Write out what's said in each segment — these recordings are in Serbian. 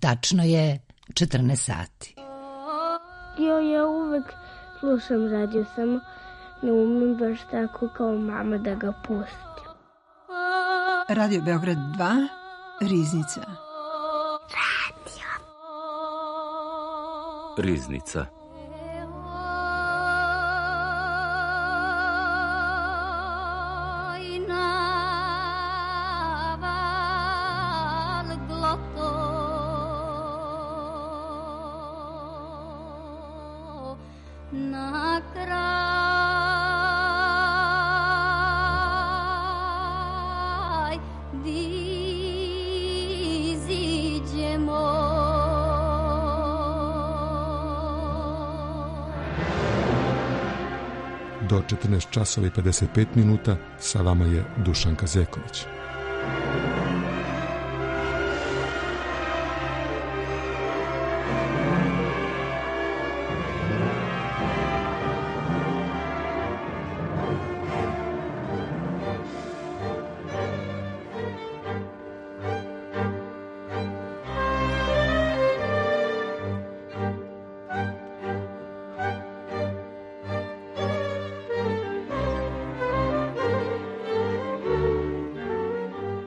Tačno je 14 sati. Ja uvek slušam radio, samo ne umem baš tako kao mama da ga pustim. Radio Beograd 2, Riznica. Riznica. Do 14 časova i 55 minuta sa vama je Dušanka Zeković.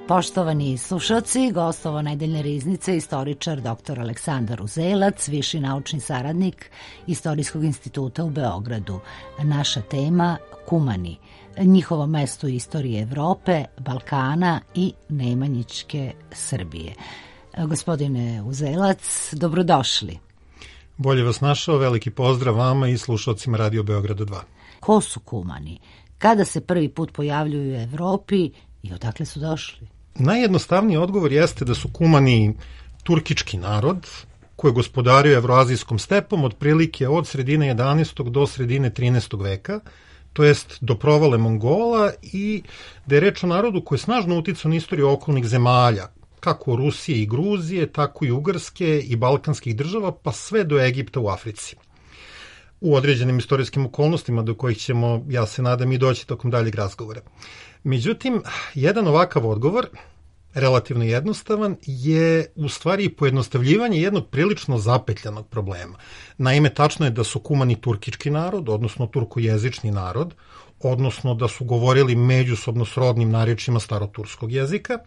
Poštovani slušalci, gostovo nedeljne riznice istoričar dr. Aleksandar Uzelac, viši naučni saradnik Istorijskog instituta u Beogradu. Naša tema Kumani, njihovo mesto u istoriji Evrope, Balkana i Nemanjićke Srbije. Gospodine Uzelac, dobrodošli. Bolje vas našao, veliki pozdrav vama i slušalcima Radio Beograda 2. Ko su Kumani? Kada se prvi put pojavljuju u Evropi i odakle su došli? Najjednostavniji odgovor jeste da su Kumani turkički narod koji je gospodario evroazijskom stepom otprilike od sredine 11. do sredine 13. veka, to jest do provale Mongola, i da je reč o narodu koji je snažno uticao na istoriju okolnih zemalja, kako Rusije i Gruzije, tako i Ugarske i balkanskih država, pa sve do Egipta u Africi. U određenim istorijskim okolnostima do kojih ćemo, ja se nadam, i doći tokom daljeg razgovora. Međutim, jedan ovakav odgovor, relativno jednostavan, je u stvari pojednostavljivanje jednog prilično zapetljanog problema. Naime, tačno je da su Kumani turkički narod, odnosno turkojezični narod, odnosno da su govorili međusobno srodnim narječjima staroturskog jezika.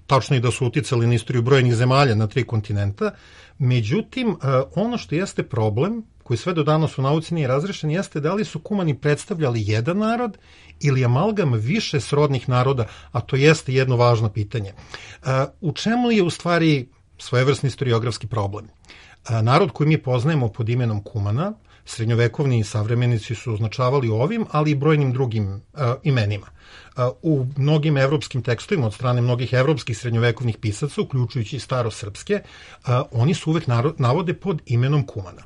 Tačno je da su uticali na istoriju brojnih zemalja na 3 kontinenta. Međutim, ono što jeste problem, koji sve do danas u nauci nije razrešen, jeste da li su Kumani predstavljali jedan narod ili amalgam više srodnih naroda, a to jeste jedno važno pitanje. U čemu je u stvari svojevrsni historiografski problem? Narod koji mi poznajemo pod imenom Kumana, srednjovekovni savremenici su označavali ovim, ali i brojnim drugim imenima. U mnogim evropskim tekstovima od strane mnogih evropskih srednjovekovnih pisaca, uključujući i starosrpske, oni su uvek navode pod imenom Kumana.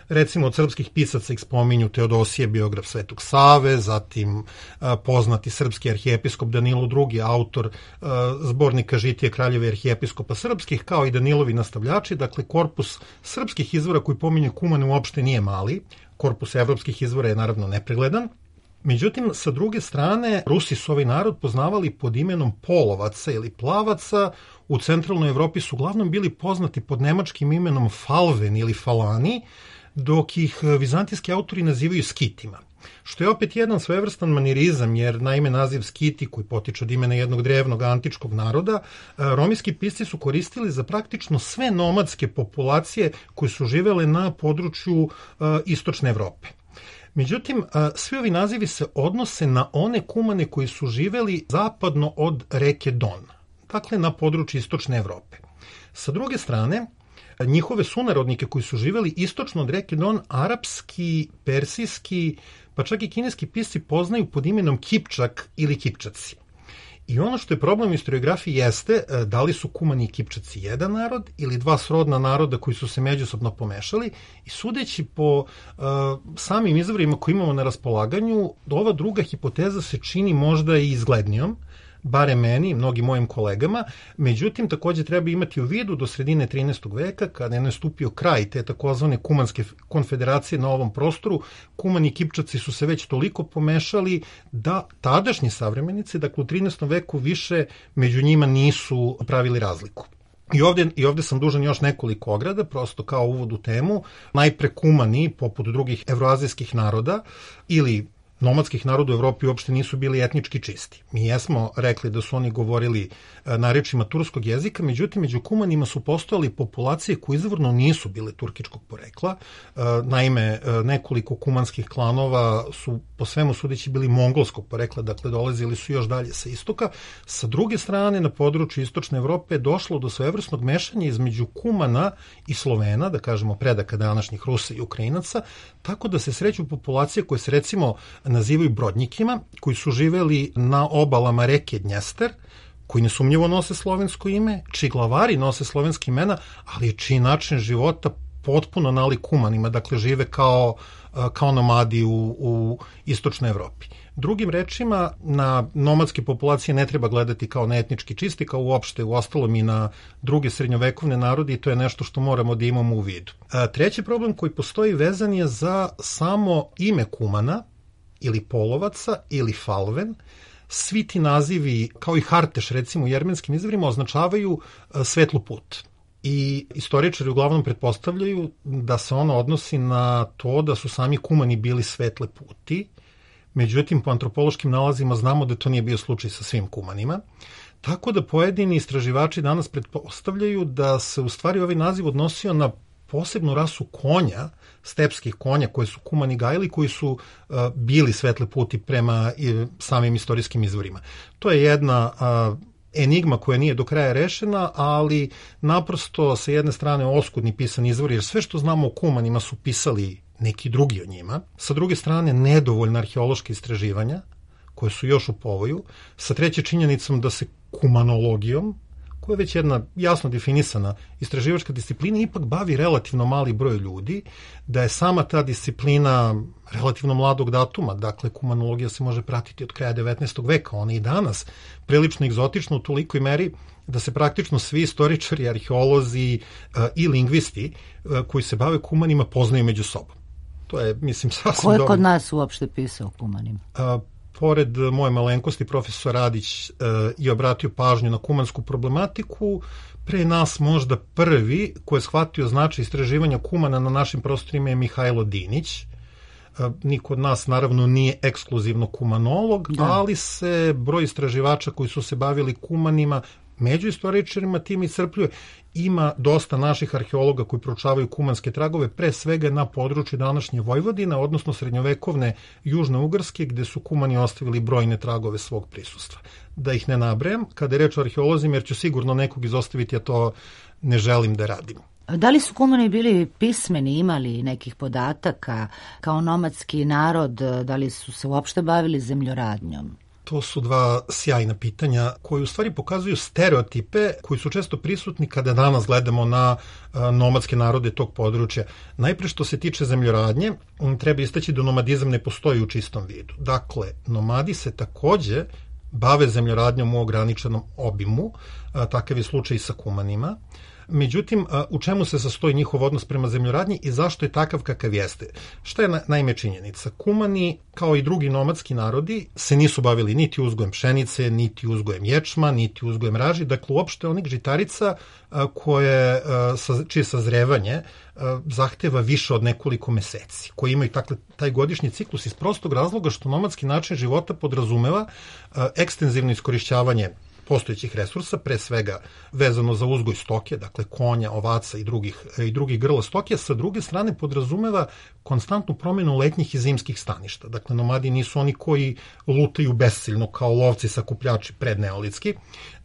Recimo, od srpskih pisaca ih spominju Teodosije, biograf Svetog Save, zatim poznati srpski arhijepiskop Danilo II, autor zbornika Žitije kraljeva i arhijepiskopa srpskih, kao i Danilovi nastavljači. Dakle, korpus srpskih izvora koji pominje Kumane uopšte nije mali, korpus evropskih izvora je naravno nepregledan. Međutim, sa druge strane, Rusi su ovaj narod poznavali pod imenom Polovaca ili Plavaca. U centralnoj Evropi su uglavnom bili poznati pod nemačkim imenom Falven ili Falani, dok ih vizantijski autori nazivaju Skitima. Što je opet jedan svojevrstan manirizam, jer naime naziv Skiti, koji potiče od imena jednog drevnog antičkog naroda, romijski pisci su koristili za praktično sve nomadske populacije koje su živele na području istočne Evrope. Međutim, svi ovi nazivi se odnose na one Kumane koji su živeli zapadno od reke Don, dakle na području istočne Evrope. Sa druge strane, njihove sunarodnike koji su živeli istočno od reke Don, arapski, persijski, pa čak i kineski pisci poznaju pod imenom Kipčak ili Kipčaci. I ono što je problem u historiografiji jeste da li su Kumani i Kipčaci jedan narod ili dva srodna naroda koji su se međusobno pomešali, i sudeći po samim izvorima koji imamo na raspolaganju, ova druga hipoteza se čini možda i izglednijom, barem meni i mnogim mojim kolegama. Međutim, takođe treba imati u vidu do sredine 13. veka, kada je nastupio kraj te takozvane Kumanske konfederacije na ovom prostoru, Kumani i Kipčaci su se već toliko pomešali da tadašnji savremenici, dakle u 13. veku, više među njima nisu pravili razliku. I ovde sam dužan još nekoliko ograda, prosto kao uvod u temu. Najpre kumani, poput drugih evroazijskih naroda ili nomadskih naroda u Evropi uopšte nisu bili etnički čisti. Mi jesmo rekli da su oni govorili narečjima turskog jezika, međutim, među kumanima su postojali populacije koje izvorno nisu bile turkičkog porekla. Naime, nekoliko kumanskih klanova su po svemu sudeći bili mongolskog porekla, dakle dolazili su još dalje sa istoka. Sa druge strane, na području istočne Evrope je došlo do svojevrsnog mešanja između Kumana i Slovena, da kažemo predaka današnjih Rusa i Ukrajinaca, tako da se sreću populacije koje se recimo nazivaju Brodnjikima, koji su živeli na obalama reke Dnjester, koji nesumnjivo nose slovensko ime, čiji glavari nose slovenski imena, ali čiji način života potpuno nalik Kumanima, dakle žive kao nomadi u istočnoj Evropi. Drugim rečima, na nomadske populacije ne treba gledati kao na etnički čisti, kao uopšte u ostalom i na druge srednjovekovne narode, i to je nešto što moramo da imamo u vidu. Treći problem koji postoji vezan je za samo ime Kumana, ili Polovaca, ili Falven. Svi ti nazivi, kao i Harteš, recimo u jermenskim izvorima, označavaju svetlu put. I istoričari uglavnom pretpostavljaju da se ono odnosi na to da su sami Kumani bili svetle puti. Međutim, po antropološkim nalazima znamo da to nije bio slučaj sa svim Kumanima. Tako da pojedini istraživači danas pretpostavljaju da se u stvari ovaj naziv odnosio na posebnu rasu konja, stepskih konja koje su Kumani gajili, koji su bili svetle puti prema samim istorijskim izvorima. To je jedna enigma koja nije do kraja rešena, ali naprosto sa jedne strane oskudni pisani izvori, jer sve što znamo o Kumanima su pisali neki drugi o njima. Sa druge strane, nedovoljna arheološka istraživanja, koje su još u povoju. Sa treće, činjenicom da se kumanologijom, koja je već jedna jasno definisana istraživačka disciplina, ipak bavi relativno mali broj ljudi, da je sama ta disciplina relativno mladog datuma, dakle kumanologija se može pratiti od kraja 19. veka, ona i danas prilično egzotična u tolikoj meri da se praktično svi istoričari, arheolozi i lingvisti koji se bave Kumanima poznaju među sobom. To je, mislim, sasvim dobro. Ko je kod nas uopšte pisao o Kumanima? Pored moje malenkosti, profesor Radić je obratio pažnju na kumansku problematiku. Pre nas možda prvi koji je shvatio značaj istraživanja Kumana na našim prostorima je Mihajlo Dinić. Niko od nas naravno nije ekskluzivno kumanolog, ali se broj istraživača koji su se bavili Kumanima među istoričarima tim iscrpljuje. Ima dosta naših arheologa koji proučavaju kumanske tragove, pre svega na području današnje Vojvodine, odnosno srednjovekovne Južne Ugarske, gde su Kumani ostavili brojne tragove svog prisustva. Da ih ne nabrajam, kada je reč o arheolozima, jer ću sigurno nekog izostaviti, ja to ne želim da radim. Da li su Kumani bili pismeni, imali nekih podataka kao nomadski narod, da li su se uopšte bavili zemljoradnjom? To su dva sjajna pitanja koji u stvari pokazuju stereotipe koji su često prisutni kada danas gledamo na nomadske narode tog područja. Najpre što se tiče zemljoradnje, treba istaći da nomadizam ne postoji u čistom vidu. Dakle, nomadi se takođe bave zemljoradnjom u ograničenom obimu, takav je slučaj i sa Kumanima. Međutim, u čemu se sastoji njihov odnos prema zemljoradnji i zašto je takav kakav jeste? Šta je naime činjenica? Kumani, kao i drugi nomadski narodi, se nisu bavili niti uzgojem pšenice, niti uzgojem ječma, niti uzgojem raži, dakle uopšte onih žitarica čije sazrevanje zahteva više od nekoliko meseci, koji imaju taj godišnji ciklus iz prostog razloga što nomadski način života podrazumeva ekstenzivno iskorišćavanje postojećih resursa, pre svega vezano za uzgoj stoke, dakle konja, ovaca i drugih grla stoke, sa druge strane podrazumeva konstantnu promenu letnjih i zimskih staništa. Dakle, nomadi nisu oni koji lutaju besciljno kao lovci sakupljači predneolitski,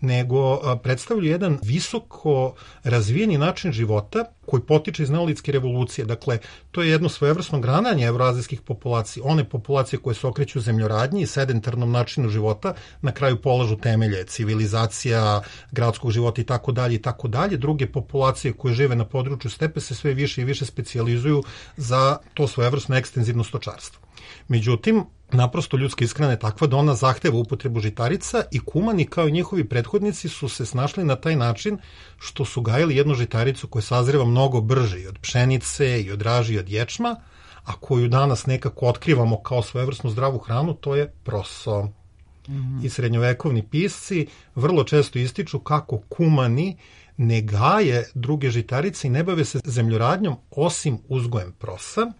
nego predstavljaju jedan visoko razvijeni način života koji potiče iz neolitske revolucije. Dakle, to je jedno svojevrsno grananje evroazijskih populacija. One populacije koje se okreću zemljoradnji i sedentarnom načinu života na kraju polažu temelje civilizacija, gradskog života i tako dalje. Druge populacije koje žive na području stepe se sve više i više specijalizuju za to svojevrsno ekstenzivno stočarstvo. Međutim, naprosto ljudska ishrana je takva da ona zahteva upotrebu žitarica i Kumani kao i njihovi prethodnici su se snašli na taj način što su gajili jednu žitaricu koja sazreva mnogo brže i od pšenice i od raži i od ječma, a koju danas nekako otkrivamo kao svojevrsnu zdravu hranu, to je proso. i srednjovekovni pisci vrlo često ističu kako kumani ne gaje druge žitarice i ne bave se zemljoradnjom osim uzgojem prosa.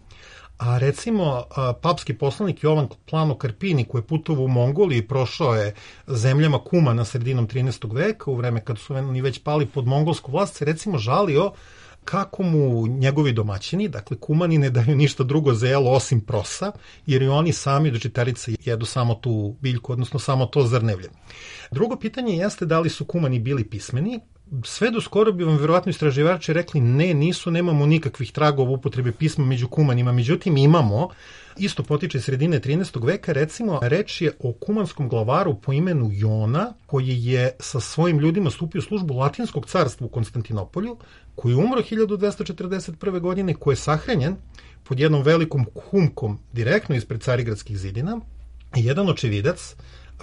A recimo, papski poslanik Jovan Plano Karpini, koji je putovao u Mongoliji i prošao je zemljama Kumana sredinom 13. veka, u vreme kad su oni već pali pod mongolsku vlast, se recimo žalio kako mu njegovi domaćini, dakle Kumani, ne daju ništa drugo za jelo osim prosa, jer i oni sami od žitarica jedu samo tu biljku, odnosno samo to zrnevlje. Drugo pitanje jeste da li su Kumani bili pismeni. Sve do skoro bi vam verovatno istraživači rekli ne, nisu, nemamo nikakvih tragova upotrebe pisma među Kumanima, međutim imamo, isto potiče sredine 13. veka, recimo reč je o kumanskom glavaru po imenu Jona, koji je sa svojim ljudima stupio u službu Latinskog carstva u Konstantinopolju, koji je umro 1241. godine, koji je sahranjen pod jednom velikom humkom direktno ispred Carigradskih zidina. Jedan očevidac,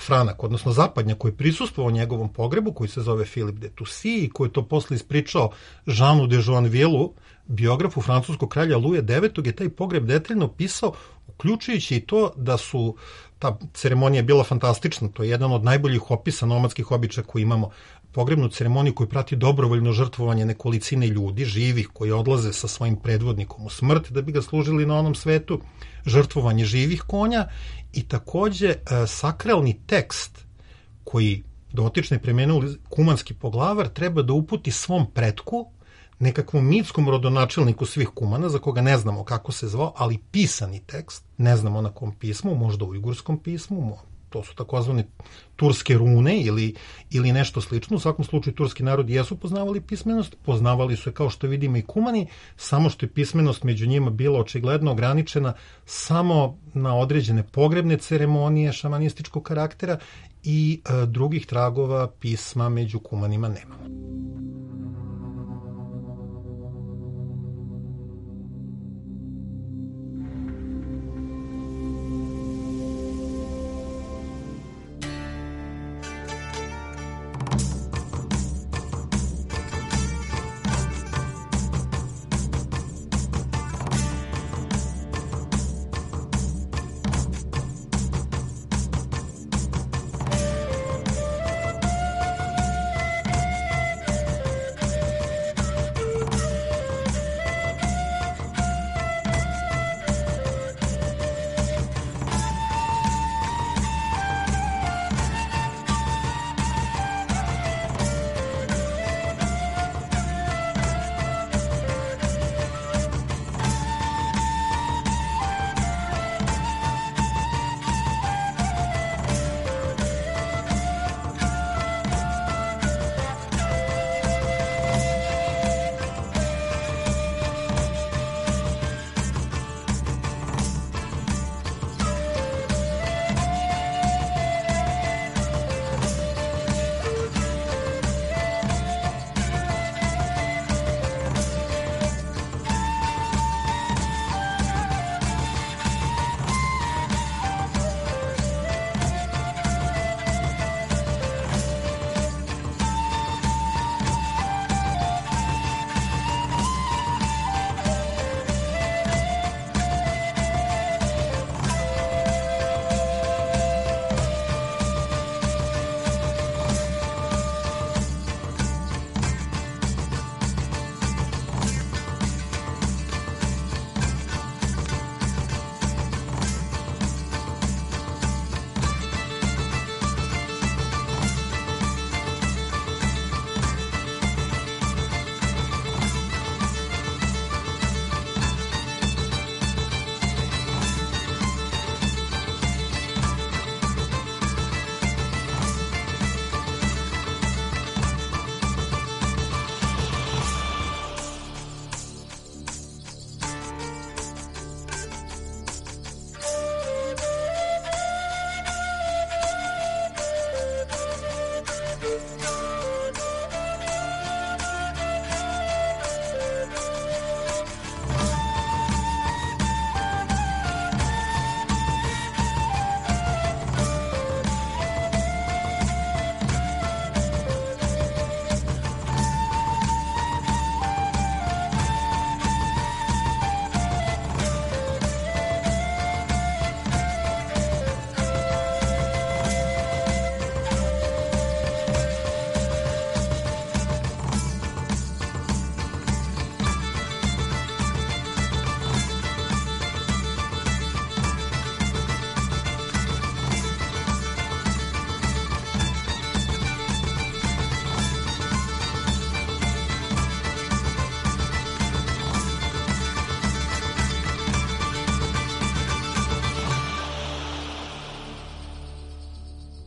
Franak, odnosno zapadnjak, koji je prisustvovao njegovom pogrebu, koji se zove Filip de Tussy i koji je to posle ispričao Jeanu de Joinvilleu, biografu francuskog kralja Luja IX, je taj pogreb detaljno pisao, uključujući i to da su ta ceremonija bila fantastična. To je jedan od najboljih opisa nomadskih običaja koji imamo. Pogrebnu ceremoniju koju prati dobrovoljno žrtvovanje nekolicine ljudi, živih, koji odlaze sa svojim predvodnikom u smrt da bi ga služili na onom svetu, žrtvovanje živih konja i takođe sakralni tekst koji dotični premenuli kumanski poglavar treba da uputi svom pretku, nekakvom mitskom rodonačelniku svih Kumana, za koga ne znamo kako se zvao, ali pisani tekst, ne znamo na kom pismu, možda u ujgurskom pismu, to su takozvane turske rune ili nešto slično. U svakom slučaju turski narodi jesu poznavali pismenost, poznavali su je kao što vidimo i Kumani, samo što je pismenost među njima bila očigledno ograničena samo na određene pogrebne ceremonije šamanističkog karaktera i drugih tragova pisma među Kumanima nema.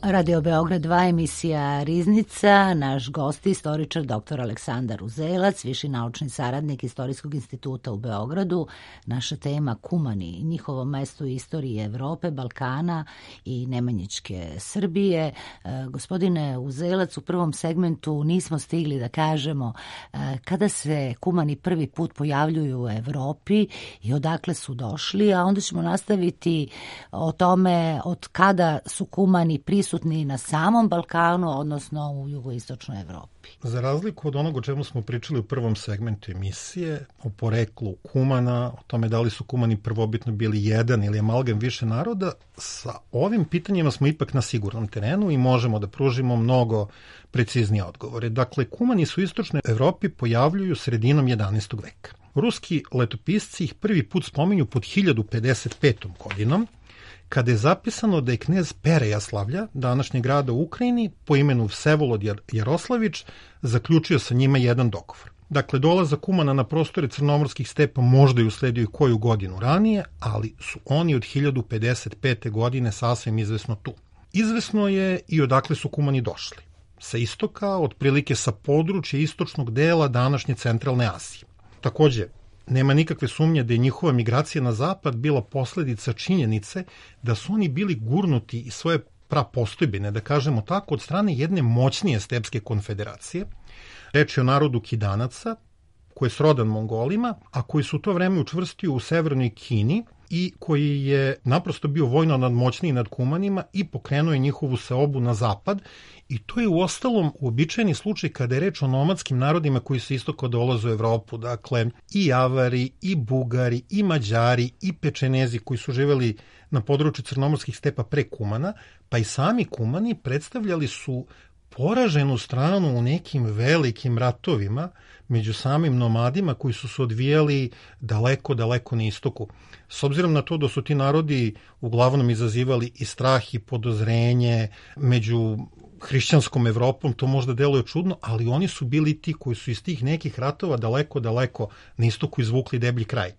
Radio Beograd 2, emisija Riznica. Naš gost je istoričar dr. Aleksandar Uzelac, viši naučni saradnik Istorijskog instituta u Beogradu. Naša tema Kumani, njihovo mesto u istoriji Evrope, Balkana i Nemanjićke Srbije. Gospodine Uzelac, u prvom segmentu nismo stigli da kažemo kada se Kumani prvi put pojavljuju u Evropi i odakle su došli, a onda ćemo nastaviti o tome od kada su Kumani prisutni na samom Balkanu, odnosno u jugoistočnoj Evropi. Za razliku od onog o čemu smo pričali u prvom segmentu emisije, o poreklu Kumana, o tome da li su Kumani prvobitno bili jedan ili amalgam više naroda, sa ovim pitanjima smo ipak na sigurnom terenu i možemo da pružimo mnogo preciznije odgovore. Dakle, Kumani su u istočnoj Evropi pojavljuju sredinom 11. veka. Ruski letopisci ih prvi put spominju pod 1055. godinom, kada je zapisano da je knez Perejaslavlja, današnjeg grada u Ukrajini, po imenu Vsevolod Jaroslavić, zaključio sa njima jedan dogovor. Dakle, dolazak Kumana na prostore crnomorskih stepa možda je usledio i koju godinu ranije, ali su oni od 1055. godine sasvim izvesno tu. Izvesno je i odakle su Kumani došli. Sa istoka, otprilike sa područja istočnog dela današnje centralne Azije. Takođe, nema nikakve sumnje da je njihova migracija na zapad bila posledica činjenice da su oni bili gurnuti iz svoje prapostojbine, da kažemo tako, od strane jedne moćnije stepske konfederacije. Reč je o narodu Kidanaca, koji je srodan Mongolima, a koji su u to vreme učvrstio u severnoj Kini i koji je naprosto bio vojno nadmoćniji nad Kumanima i pokrenuo je njihovu seobu na zapad. I to je uostalom uobičajeni slučaj kada je reč o nomadskim narodima koji su istoko dolaze u Evropu. Dakle, i Avari, i Bugari, i Mađari, i Pečenezi koji su živeli na području crnomorskih stepa pre Kumana, pa i sami Kumani predstavljali su poraženu stranu u nekim velikim ratovima među samim nomadima koji su se odvijali daleko, daleko na istoku. S obzirom na to da su ti narodi uglavnom izazivali i strah i podozrenje među hrišćanskom Evropom, to možda deluje čudno, ali oni su bili ti koji su iz tih nekih ratova daleko, daleko na istoku izvukli deblji kraj.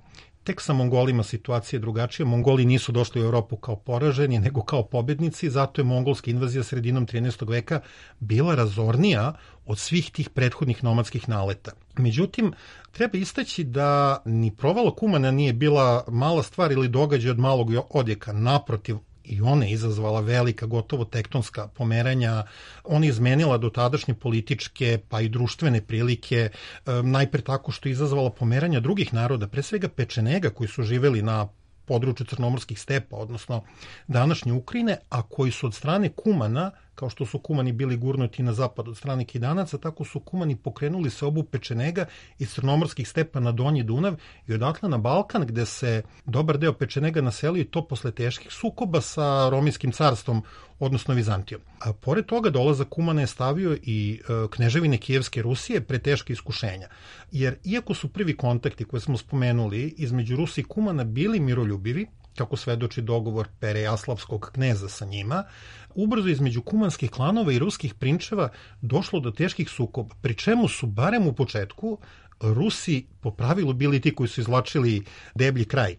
Tek sa Mongolima situacija je drugačija. Mongoli nisu došli u Evropu kao poraženi, nego kao pobednici, zato je mongolska invazija sredinom 13. veka bila razornija od svih tih prethodnih nomadskih naleta. Međutim, treba istaći da ni provala Kumana nije bila mala stvar ili događaj od malog odjeka. Naprotiv, i ona je izazvala velika, gotovo tektonska pomeranja. Ona je izmenila dotadašnje političke pa i društvene prilike, najpre tako što je izazvala pomeranja drugih naroda, pre svega Pečenega koji su živeli na području crnomorskih stepa, odnosno današnje Ukrajine, a koji su od strane Kumana, kao što su Kumani bili gurnuti na zapad od strane Kidanaca, tako su Kumani pokrenuli seobu Pečenega iz crnomorskih stepa na Donji Dunav i odatle na Balkan, gde se dobar deo Pečenega naselio i to posle teških sukoba sa Romijskim carstvom, odnosno Vizantijom. A pored toga dolazak Kumana je stavio i kneževine Kijevske Rusije pre teške iskušenja. Jer iako su prvi kontakti koje smo spomenuli između Rusije i Kumana bili miroljubivi, kako svedoči dogovor Perejaslavskog kneza sa njima, ubrzo između kumanskih klanova i ruskih prinčeva došlo do teških sukoba, pri čemu su barem u početku Rusi po pravilu bili ti koji su izvlačili deblji kraj.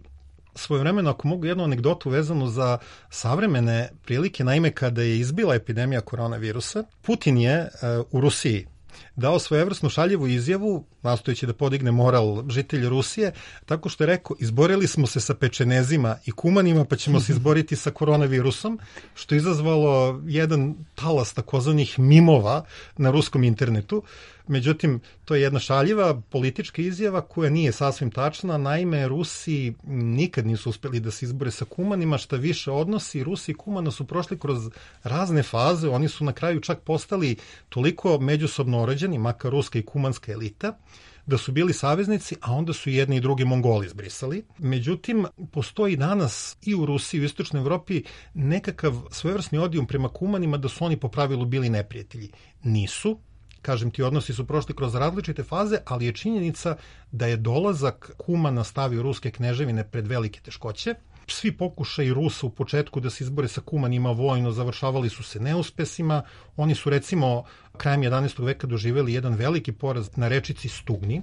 Svojevremeno, ako mogu jednu anegdotu vezanu za savremene prilike, naime kada je izbila epidemija koronavirusa, Putin je u Rusiji dao svojevrsnu šaljivu izjavu, nastojeći da podigne moral žitelja Rusije, tako što je rekao, izborili smo se sa Pečenezima i Kumanima, pa ćemo se izboriti sa koronavirusom, što je izazvalo jedan talas takozvanih mimova na ruskom internetu. Međutim, to je jedna šaljiva politička izjava koja nije sasvim tačna. Naime, Rusi nikad nisu uspeli da se izbore sa Kumanima, šta više odnosi. Rusi i Kumana su prošli kroz razne faze, oni su na kraju čak postali toliko međusobno orođeni, makar ruska i kumanska elita, da su bili saveznici, a onda su jedni i drugi Mongoli izbrisali. Međutim, postoji danas i u Rusiji i u istočnoj Evropi nekakav svojevrsni odijum prema Kumanima da su oni po pravilu bili neprijatelji. Nisu. Kažem ti, odnosi su prošli kroz različite faze, ali je činjenica da je dolazak Kumana stavio ruske kneževine pred velike teškoće. Svi pokušaji Rusa u početku da se izbore sa Kumanima vojno završavali su se neuspesima. Oni su recimo krajem 11. veka doživeli jedan veliki poraz na rečici Stugni,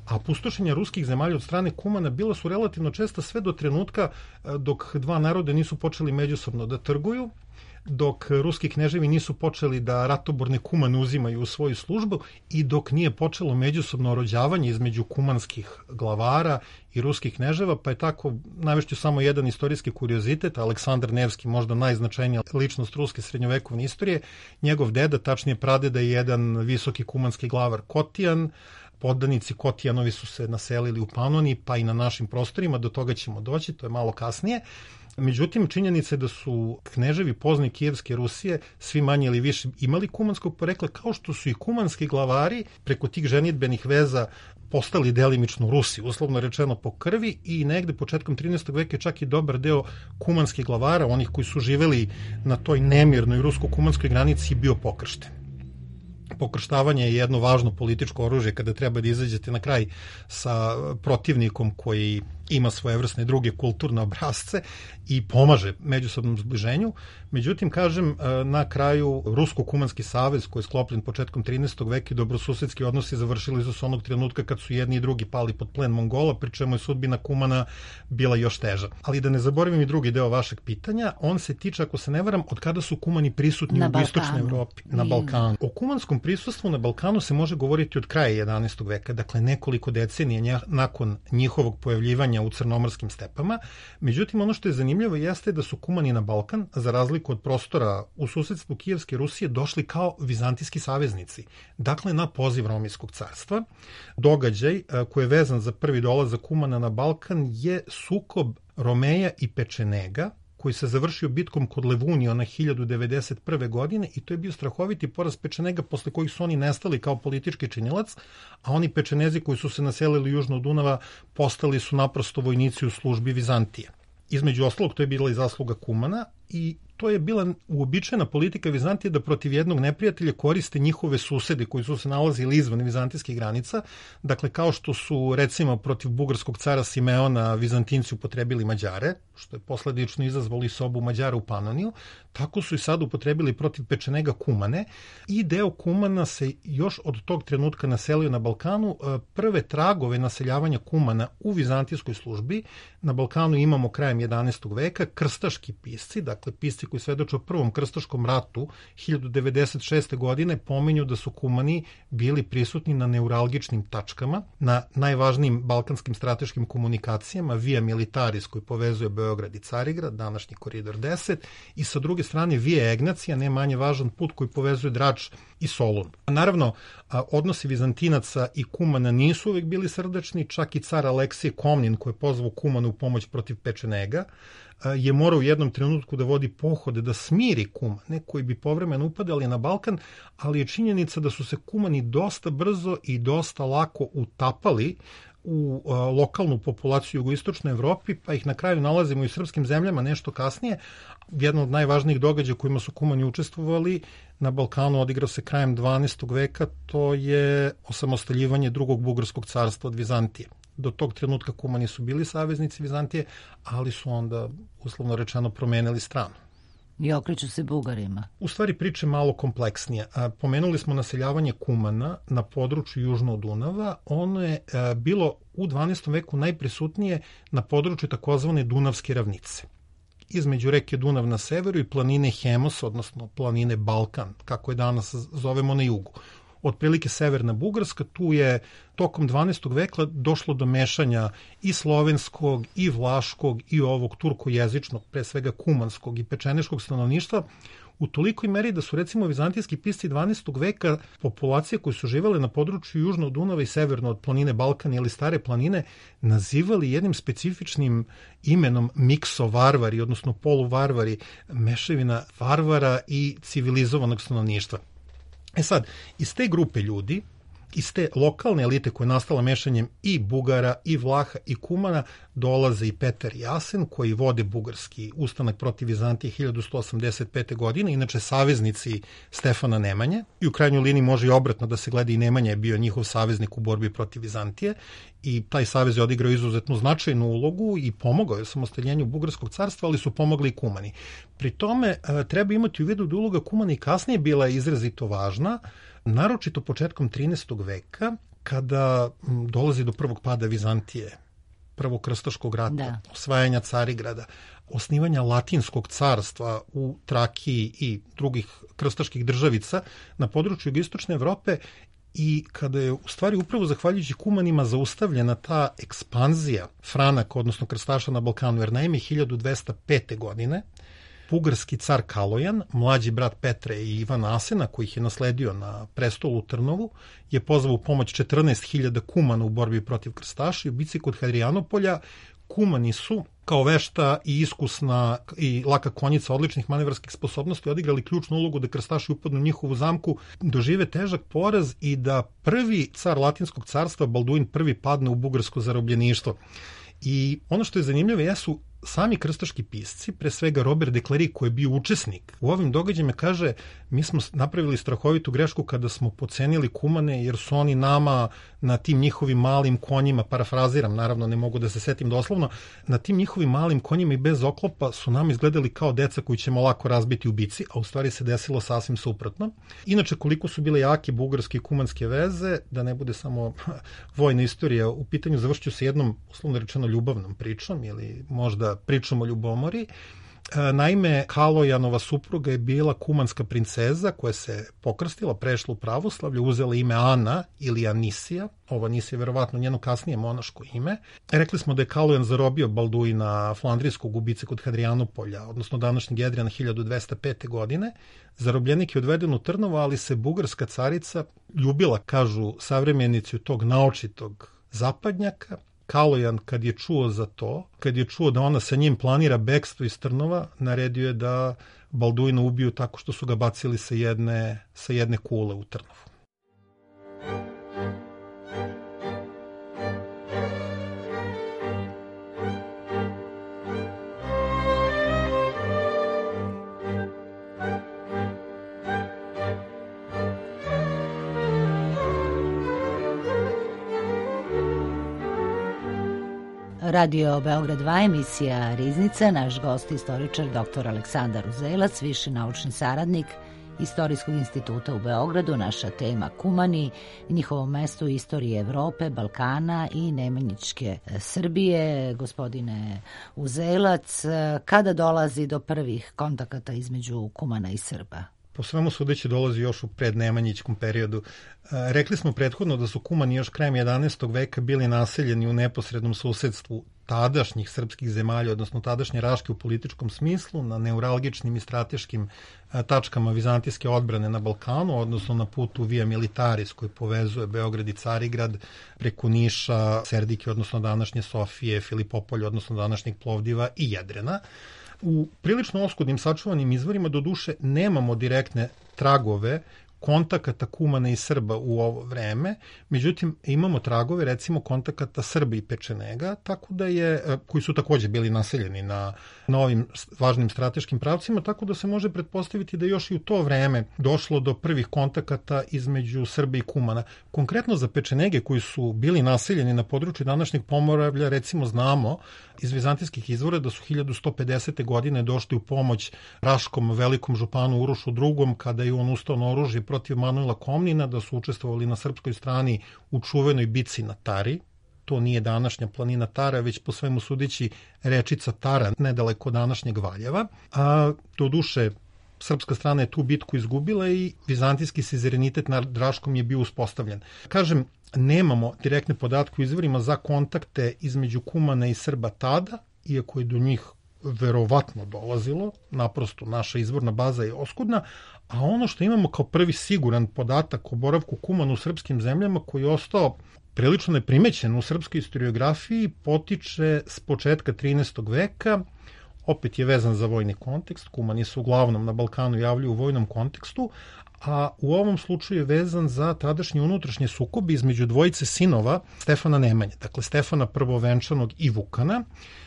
a pustošenja ruskih zemalja od strane Kumana bila su relativno česta sve do trenutka dok dva naroda nisu počeli međusobno da trguju. dok ruski kneževi nisu počeli da ratoborne kumane uzimaju u svoju službu i dok nije počelo međusobno rođavanje između kumanskih glavara i ruskih kneževa, pa je tako, navešću samo jedan istorijski kuriozitet, Aleksandar Nevski, možda najznačajnija ličnost ruske srednjovekovne istorije, njegov deda, tačnije pradeda, je jedan visoki kumanski glavar Kotijan. Poddanici Kotijanovi su se naselili u Panoniji, pa i na našim prostorima, do toga ćemo doći, to je malo kasnije. Međutim, činjenica je da su kneževi pozni Kijevske Rusije svi manje ili više imali kumanskog porekla, kao što su i kumanski glavari preko tih ženidbenih veza postali delimično Rusi, uslovno rečeno po krvi, i negde početkom 13. veka je čak i dobar deo kumanskih glavara, onih koji su živeli na toj nemirnoj rusko-kumanskoj granici, bio pokršten. Pokrštavanje je jedno važno političko oružje kada treba da izađete na kraj sa protivnikom koji ima svojevrsne druge kulturne obrazce i pomaže međusobnom zbliženju. Međutim, kažem, na kraju Rusko-kumanski savez koji je sklopljen početkom 13. veka i dobrosusedski odnosi završili su se onog trenutka kad su jedni i drugi pali pod plen Mongola, pri čemu je sudbina Kumana bila još teža. Ali da ne zaboravim i drugi deo vašeg pitanja, on se tiče, ako se ne varam, od kada su kumani prisutni u istočnoj Evropi, na Balkanu. O kumanskom prisustvu na Balkanu se može govoriti od kraja 11. veka, dakle nekoliko decenija nakon njihovog pojavljivanja u crnomorskim stepama. Međutim, ono što je zanimljivo jeste da su kumani na Balkan, za razliku od prostora u susedstvu Kijevske Rusije, došli kao vizantijski saveznici, dakle na poziv Romijskog carstva. Događaj koji je vezan za prvi dolazak kumana na Balkan je sukob Romeja i Pečenega, koji se završio bitkom kod Levuniona 1091. godine, i to je bio strahoviti poraz Pečenega, posle kojih su oni nestali kao politički činilac, a oni Pečenezi koji su se naselili južno od Dunava postali su naprosto vojnici u službi Vizantije. Između ostalog, to je bila i zasluga Kumana, i to je bila uobičajena politika Vizantije da protiv jednog neprijatelja koriste njihove susede koji su se nalazili izvan vizantijskih granica. Dakle, kao što su recimo protiv bugarskog cara Simeona Vizantinci upotrebili Mađare, što je posledično izazvalo i sobu Mađara u Panoniju, tako su i sad upotrebili protiv Pečenega Kumane, i deo Kumana se još od tog trenutka naselio na Balkanu. Prve tragove naseljavanja Kumana u vizantijskoj službi na Balkanu imamo krajem 11. veka. Krstaški pisci, dakle pisci koji svedoče o prvom krstaškom ratu 1096. godine, pominju da su Kumani bili prisutni na neuralgičnim tačkama, na najvažnijim balkanskim strateškim komunikacijama, Via Militaris koji povezuje Beograd i Carigrad, današnji koridor 10, i sa druge strane Via Egnacija, ne manje važan put koji povezuje Drač i Solun. Naravno, odnosi Vizantinaca i Kumana nisu uvek bili srdečni, čak i car Aleksije Komnin, koji je pozvao Kumana u pomoć protiv Pečenega, je morao u jednom trenutku da vodi pohode da smiri Kumane koji bi povremeno upadali na Balkan, ali je činjenica da su se Kumani dosta brzo i dosta lako utapali u lokalnu populaciju u jugoistočnoj Evropi, pa ih na kraju nalazimo i u srpskim zemljama nešto kasnije. Jedan od najvažnijih događaja kojima su Kumani učestvovali na Balkanu odigrao se krajem 12. veka, to je osamostaljivanje drugog bugarskog carstva od Vizantije. Do tog trenutka Kumani su bili saveznici Vizantije, ali su onda, uslovno rečeno, promenili stranu. I okreću se Bugarima. U stvari priče malo kompleksnije. Pomenuli smo naseljavanje Kumana na području južno od Dunava. Ono je bilo u 12. veku najprisutnije na području takozvane Dunavske ravnice. Između reke Dunav na severu i planine Hemos, odnosno planine Balkan, kako je danas zovemo, na jugu. Otprilike severna Bugarska, tu je tokom 12. veka došlo do mešanja i slovenskog, i vlaškog, i ovog turkojezičnog, pre svega kumanskog i pečeneškog stanovništva, u tolikoj meri da su recimo vizantijski pisci 12. veka populacije koje su živele na području južno od Dunava i severno od planine Balkan ili Stare planine nazivali jednim specifičnim imenom miksovarvari, odnosno poluvarvari, mešavina varvara i civilizovanog stanovništva. Sad, iz te grupe ljudi, iz te lokalne elite koja je nastala mešanjem i Bugara, i Vlaha, i Kumana, dolaze i Petar i Asen, koji vode bugarski ustanak protiv Vizantije 1185. godine, inače saveznici Stefana Nemanje, i u krajnjoj liniji može i obratno da se gleda, i Nemanja je bio njihov saveznik u borbi protiv Vizantije, i taj savez je odigrao izuzetno značajnu ulogu i pomogao je samostaljenju Bugarskog carstva, ali su pomogli i Kumani. Pri tome treba imati u vidu da uloga Kumana i kasnije bila izrazito važna, naročito početkom 13. veka, kada dolazi do prvog pada Vizantije Prvog krstaškog rata, da. osvajanja Carigrada, osnivanja Latinskog carstva u Trakiji i drugih krstaških državica na području jugoistočne Evrope, i kada je u stvari upravo zahvaljujući Kumanima zaustavljena ta ekspanzija Franaka, odnosno krstaša na Balkanu, jer naime 1205. godine bugarski car Kalojan, mlađi brat Petre i Ivana Asena, koji ih je nasledio na prestolu u Trnovu, je pozvao u pomoć 14.000 Kumana u borbi protiv krstaša i u bici kod Hadrianopolja. Kumani su, kao vešta i iskusna i laka konjica odličnih manevarskih sposobnosti, odigrali ključnu ulogu da krstaši upadnu u njihovu zamku, dožive težak poraz i da prvi car Latinskog carstva, Balduin I, padne u bugarsko zarobljeništvo. I ono što je zanimljivo jesu sami krstaški pisci, pre svega Robert de Clari, koji je bio učesnik u ovim događajima, kaže: mi smo napravili strahovitu grešku kada smo pocenili Kumane, jer su oni nama na tim njihovim malim konjima, parafraziram, naravno ne mogu da se setim doslovno, na tim njihovim malim konjima i bez oklopa su nam izgledali kao deca koji ćemo lako razbiti u bici, a u stvari se desilo sasvim suprotno. Inače, koliko su bile jake bugarske i kumanske veze, da ne bude samo vojna istorija u pitanju, završću se jednom, uslovno rečeno, ljubavnom pričom ili možda pričom o ljubomori. Naime, Kalojanova supruga je bila kumanska princeza koja se pokrstila, prešla u pravoslavlje, uzela ime Ana ili Anisija. Ovo Anisija je verovatno njeno kasnije monaško ime. Rekli smo da je Kalojan zarobio Balduina Flandrijskog u bici kod Hadrianopolja, odnosno današnjeg Jedrijana 1205. godine. Zarobljenik je odveden u Trnovo, ali se bugarska carica ljubila, kažu savremenici, tog naočitog zapadnjaka. Kalojan, kad je čuo za to, kad je čuo da ona sa njim planira bekstvo iz Trnova, naredio je da Balduina ubiju tako što su ga bacili sa jedne kule u Trnovu. Radio Beograd 2, emisija Riznica, naš gost istoričar dr. Aleksandar Uzelac, viši naučni saradnik Istorijskog instituta u Beogradu. Naša tema Kumani, njihovo mesto u istoriji Evrope, Balkana i Nemanjičke Srbije. Gospodine Uzelac, kada dolazi do prvih kontakata između Kumana i Srba? Po svemu sudeći dolazi još u prednemanjičkom periodu. Rekli smo prethodno da su Kumani još krajem 11. veka bili naseljeni u neposrednom susedstvu tadašnjih srpskih zemalja, odnosno tadašnje Raške u političkom smislu, na neuralgičnim i strateškim tačkama vizantijske odbrane na Balkanu, odnosno na putu Via Militaris koji povezuje Beograd i Carigrad preko Niša, Serdike, odnosno današnje Sofije, Filipopolja, odnosno današnjeg Plovdiva i Jedrena. U prilično oskudnim sačuvanim izvorima doduše nemamo direktne tragove kontakata Kumana i Srba u ovo vreme, međutim imamo tragove recimo kontakata Srba i Pečenega, tako da koji su takođe bili naseljeni na ovim važnim strateškim pravcima, tako da se može pretpostaviti da još i u to vreme došlo do prvih kontakata između Srba i Kumana. Konkretno za Pečenege koji su bili naseljeni na području današnjeg Pomoravlja, recimo znamo iz vizantijskih izvora da su 1150. godine došli u pomoć Raškom velikom županu Urošu II. Kada je on ustao na oružje protiv Manuela Komnina, da su učestvovali na srpskoj strani u čuvenoj bici na Tari. To nije današnja planina Tara, već po svemu sudeći rečica Tara, nedaleko današnjeg Valjeva. A doduše, srpska strana je tu bitku izgubila i vizantijski sizerenitet nad Raškom je bio uspostavljen. Kažem, nemamo direktne podatke u izvorima za kontakte između Kumana i Srba tada, iako je do njih verovatno dolazilo, naprosto naša izvorna baza je oskudna, a ono što imamo kao prvi siguran podatak o boravku Kumana u srpskim zemljama, koji je ostao prilično neprimećen u srpskoj historiografiji, potiče s početka 13. veka, opet je vezan za vojni kontekst, Kumani se uglavnom na Balkanu javljaju u vojnom kontekstu, a u ovom slučaju je vezan za tadašnje unutrašnje sukobe između dvojice sinova Stefana Nemanje, dakle Stefana Prvovenčanog i Vukana,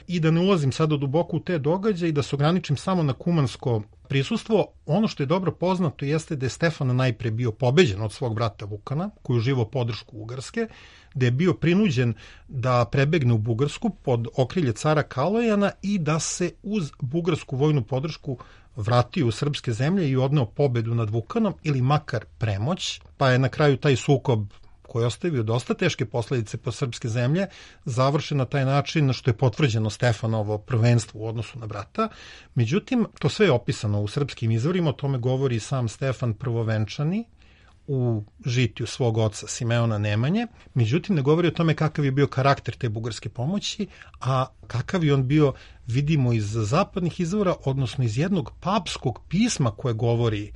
i da ne ulazim sada duboko u te događaje i da se ograničim samo na kumansko prisustvo, ono što je dobro poznato jeste da je Stefan najpre bio pobeđen od svog brata Vukana, koji uživao podršku Ugarske, da je bio prinuđen da prebegne u Bugarsku pod okrilje cara Kalojana i da se uz bugarsku vojnu podršku vratio u srpske zemlje i odneo pobedu nad Vukanom ili makar premoć, pa je na kraju taj sukob koji ostavio dosta teške posljedice po srpske zemlje, završen na taj način što je potvrđeno Stefanovo prvenstvo u odnosu na brata. Međutim, to sve je opisano u srpskim izvorima, o tome govori sam Stefan Prvovenčani u žitiju svog oca Simeona Nemanje. Međutim, ne govori o tome kakav je bio karakter te bugarske pomoći, a kakav je on bio vidimo iz zapadnih izvora, odnosno iz jednog papskog pisma koje govori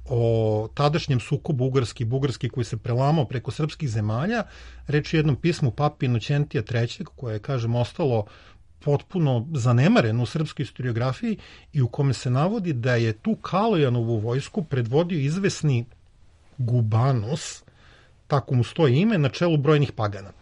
o tadašnjem sukobu Ugarski koji se prelamao preko srpskih zemalja. Reč je jednom pismu papi Inoćentija III, koje je, kažem, ostalo potpuno zanemaren u srpskoj historiografiji i u kome se navodi da je tu Kalojanovu vojsku predvodio izvesni Gubanus, tako mu stoji ime, na čelu brojnih pagana.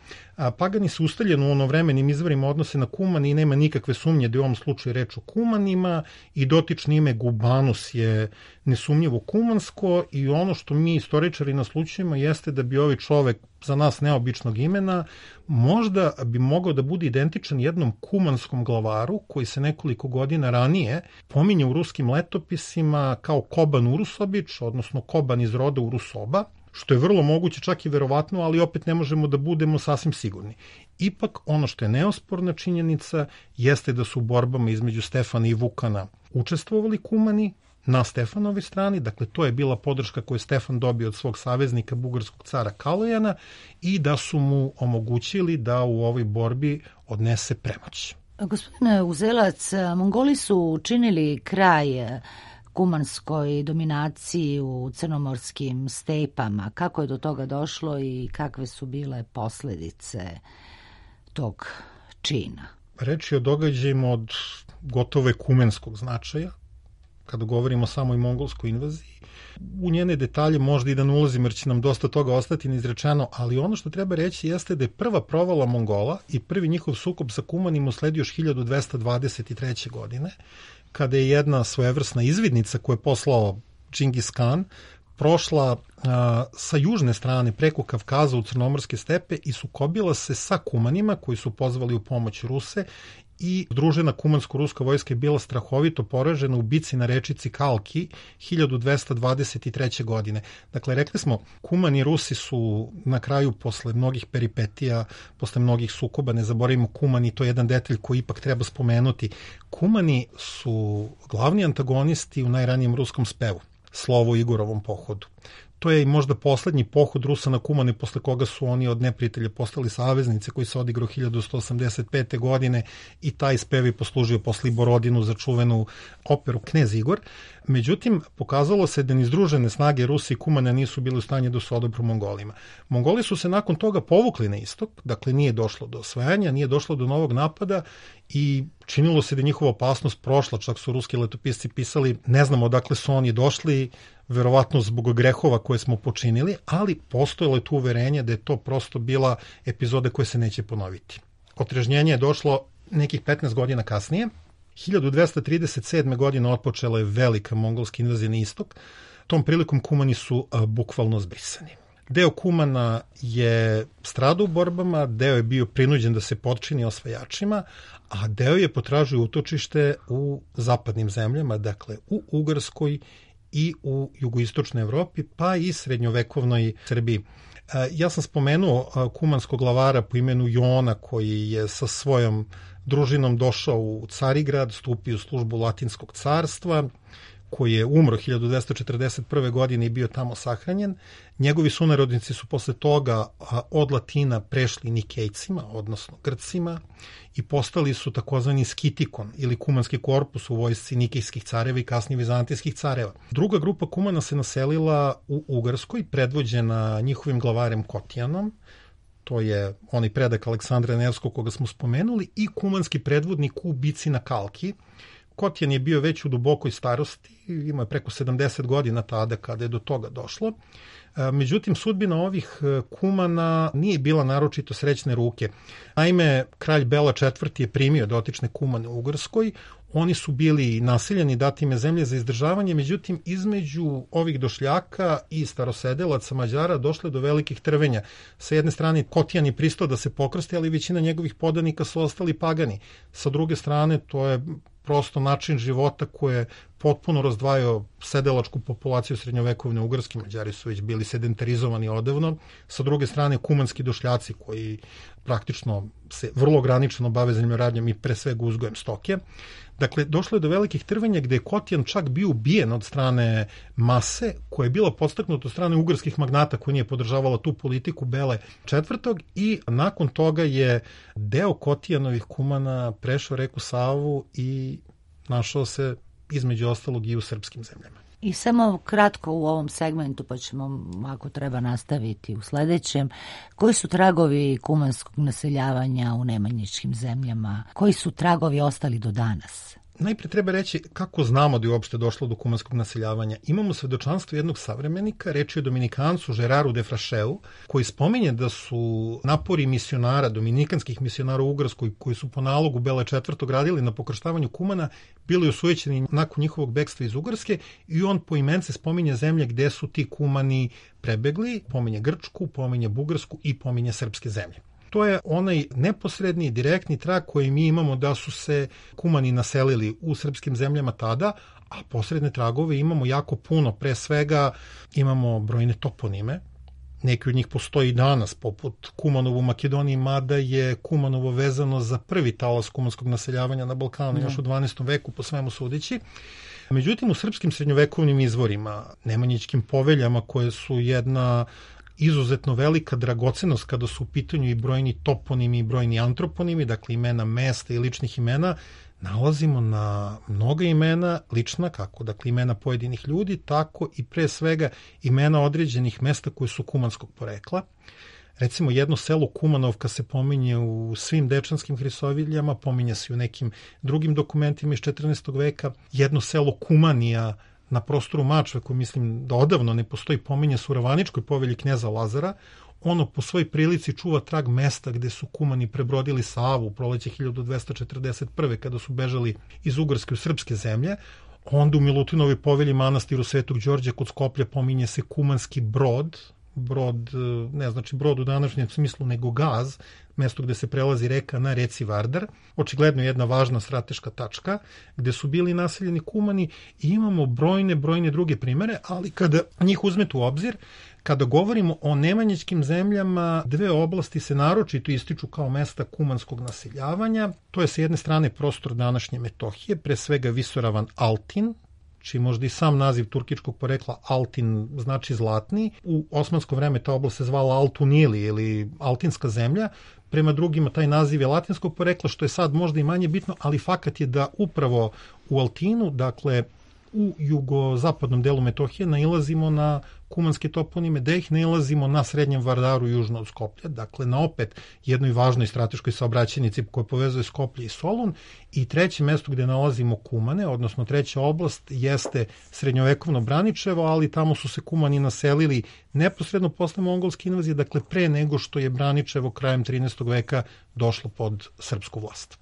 Pagani su ustaljeni u onovremenim izvorima odnose na Kuman i nema nikakve sumnje da je u ovom slučaju reč o Kumanima i dotično ime Gubanus je nesumnjivo kumansko i ono što mi istoričari naslučujemo jeste da bi ovaj čovek za nas neobičnog imena možda bi mogao da bude identičan jednom kumanskom glavaru koji se nekoliko godina ranije pominje u ruskim letopisima kao Koban Urusobić, odnosno Koban iz roda Urusoba, što je vrlo moguće, čak i verovatno, ali opet ne možemo da budemo sasvim sigurni. Ipak, ono što je neosporna činjenica jeste da su u borbama između Stefana i Vukana učestvovali Kumani na Stefanovoj strani, dakle to je bila podrška koju je Stefan dobio od svog saveznika, bugarskog cara Kalojana, i da su mu omogućili da u ovoj borbi odnese premoć. Gospodine Uzelac, Mongoli su učinili kraj kumanskoj dominaciji u crnomorskim stepama. Kako je do toga došlo i kakve su bile posljedice tog čina? Reč je o događajima od gotovo ekumenskog značaja, kada govorimo o samoj mongolskoj invaziji. U njene detalje možda i da ne ulazim, jer će nam dosta toga ostati neizrečeno, ali ono što treba reći jeste da je prva provala Mongola i prvi njihov sukob sa Kumanima usledio još 1223. godine, kada je jedna svojevrsna izvidnica koju je poslao Džingis Kan prošla sa južne strane preko Kavkaza u crnomorske stepe i sukobila se sa Kumanima koji su pozvali u pomoć Ruse i združena kumansko-ruska vojska je bila strahovito poražena u bici na rečici Kalki 1223. godine. Dakle, rekli smo, Kumani i Rusi su na kraju posle mnogih peripetija, posle mnogih sukoba, ne zaboravimo Kumani, to je jedan detalj koji ipak treba spomenuti. Kumani su glavni antagonisti u najranijem ruskom spevu, Slovo Igorovom pohodu. To je i možda poslednji pohod Rusa na Kumane, posle koga su oni od neprijatelja postali saveznici, koji se odigrao 1185. godine i taj spev je poslužio posle Borodinu za čuvenu operu Knez Igor. Međutim, pokazalo se da ni združene snage Rusi i Kumana nisu bili u stanju da se odupru Mongolima. Mongoli su se nakon toga povukli na istok, dakle nije došlo do osvajanja, nije došlo do novog napada i činilo se da je njihova opasnost prošla, čak su ruski letopisci pisali, ne znamo odakle su oni došli, verovatno zbog grehova koje smo počinili, ali postojalo je tu uverenje da je to prosto bila epizoda koja se neće ponoviti. Otrežnjenje je došlo nekih 15 godina kasnije. 1237. godine otpočela je velika mongolska invazija na istok. Tom prilikom Kumani su bukvalno zbrisani. Deo Kumana je stradao u borbama, deo je bio prinuđen da se potčini osvajačima, a deo je potražio utočište u zapadnim zemljama, dakle u Ugarskoj i u jugoistočnoj Evropi, pa i srednjovekovnoj Srbiji. Ja sam spomenuo kumanskog glavara po imenu Jona, koji je sa svojom družinom došao u Carigrad, stupio u službu Latinskog carstva, koji je umro 1241. godine i bio tamo sahranjen. Njegovi sunarodnici su posle toga od Latina prešli Nikejcima, odnosno Grcima, i postali su takozvani skitikon ili kumanski korpus u vojsci nikejskih careva i kasnije vizantijskih careva. Druga grupa Kumana se naselila u Ugarskoj, predvođena njihovim glavarem Kotijanom, to je onaj predak Aleksandra Nevskog koga smo spomenuli, i kumanski predvodnik u bici na Kalki. Kotijan je bio već u dubokoj starosti, imao je preko 70 godina tada kada je do toga došlo. Međutim, sudbina ovih Kumana nije bila naročito srećne ruke. Naime, kralj Bela IV je primio dotične Kumane u Ugarskoj, oni su bili nasiljeni, dati im zemlje za izdržavanje, međutim, između ovih došljaka i starosedelaca Mađara došle do velikih trvenja. Sa jedne strane, Kotijan je pristao da se pokrsti, ali većina njegovih podanika su ostali pagani. Sa druge strane, to je prosto način života koji je potpuno razdvajao sedelačku populaciju srednjovekovne Ugarske. Mađari su već bili sedentarizovani odavno. Sa druge strane, kumanski došljaci koji praktično se vrlo ograničeno bave zemljoradnjom i pre svega uzgojem stoke. Dakle, došlo je do velikih trvenja gde je Kotijan čak bio ubijen od strane mase koja je bila podstaknuta od strane ugarskih magnata koja nije podržavala tu politiku Bele IV. I nakon toga je deo Kotijanovih kumana prešao reku Savu i našao se između ostalog i u srpskim zemljama. I samo kratko u ovom segmentu, pa ćemo, ako treba, nastaviti u sledećem. Koji su tragovi kumanskog naseljavanja u nemanjičkim zemljama? Koji su tragovi ostali do danas? Najprije treba reći kako znamo da je uopšte došlo do kumanskog naseljavanja. Imamo svedočanstvo jednog savremenika, reč je o Dominikancu Žeraru de Frašeu, koji spominje da su napori misionara, dominikanskih misionara u Ugarskoj, koji su po nalogu Bele IV. Radili na pokrštavanju kumana, bili osujećeni nakon njihovog bekstva iz Ugarske i on poimence spominje zemlje gde su ti kumani prebegli, pominje Grčku, pominje Bugarsku i pominje srpske zemlje. To je onaj neposredni, direktni trag koji mi imamo da su se kumani naselili u srpskim zemljama tada, a posredne tragove imamo jako puno. Pre svega imamo brojne toponime. Neki od njih postoji i danas, poput Kumanovo u Makedoniji, mada je Kumanovo vezano za prvi talas kumanskog naseljavanja na Balkanu još u 12. veku, po svemu sudeći. Međutim, u srpskim srednjovekovnim izvorima, nemanjičkim poveljama koje su jedna izuzetno velika dragocenost kada su u pitanju i brojni toponimi i brojni antroponimi, dakle imena mesta i ličnih imena, nalazimo na mnoga imena lična, kako dakle imena pojedinih ljudi, tako i pre svega imena određenih mesta koje su kumanskog porekla. Recimo jedno selo Kumanovka se pominje u svim dečanskim hrisoviljama, pominje se u nekim drugim dokumentima iz 14. veka. Jedno selo Kumanija na prostoru Mačve, koji mislim da odavno ne postoji, pominje se u Ravaničkoj povelji knjeza Lazara. Ono po svojoj prilici čuva trag mesta gde su kumani prebrodili Savu u proleće 1241. kada su bežali iz Ugarske u srpske zemlje. Onda u Milutinovoj povelji manastiru Svetog Đorđa kod Skoplja pominje se kumanski brod, ne znači brod u današnjem smislu, nego gaz, mesto gde se prelazi reka na reci Vardar, očigledno jedna važna strateška tačka, gde su bili naseljeni kumani i imamo brojne druge primere, ali kada njih uzmete u obzir, kada govorimo o nemanjičkim zemljama, dve oblasti se naročito ističu kao mesta kumanskog naseljavanja. To je sa jedne strane prostor današnje Metohije, pre svega visoravan Altin, čiji možda i sam naziv turkičkog porekla Altin znači zlatni. U osmansko vreme ta oblast se zvala Altunili ili Altinska zemlja. Prema drugima taj naziv je latinskog porekla, što je sad možda i manje bitno, ali fakat je da upravo u Altinu, dakle u jugozapadnom delu Metohije, nailazimo na kumanske toponime, da ih nailazimo na srednjem Vardaru južno od Skoplja, dakle na opet jednoj važnoj strateškoj saobraćajnici koja povezuje Skoplje i Solun. I treće mesto gde nalazimo kumane, odnosno treća oblast, jeste srednjovekovno Braničevo, ali tamo su se kumani naselili neposredno posle mongolske invazije, dakle pre nego što je Braničevo krajem 13. veka došlo pod srpsku vlast.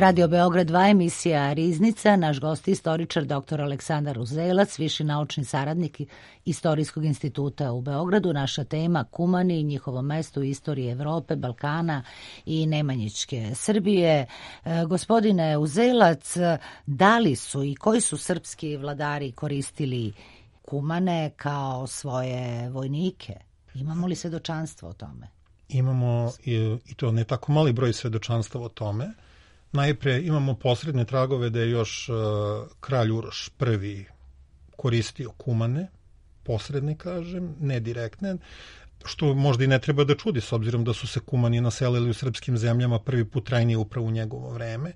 Radio Beograd 2, emisija Riznica. Naš gost je istoričar dr. Aleksandar Uzelac, viši naučni saradnik Istorijskog instituta u Beogradu. Naša tema Kumani, njihovo mesto u istoriji Evrope, Balkana i Nemanjićke Srbije. Gospodine Uzelac, da li su i koji su srpski vladari koristili Kumane kao svoje vojnike? Imamo li svedočanstvo o tome? Imamo i to ne tako mali broj svedočanstva o tome. Najpre imamo posredne tragove da je još kralj Uroš I koristio Kumane, posredne kažem, ne direktne, što možda i ne treba da čudi s obzirom da su se Kumani naselili u srpskim zemljama prvi put trajnije upravo u njegovo vreme.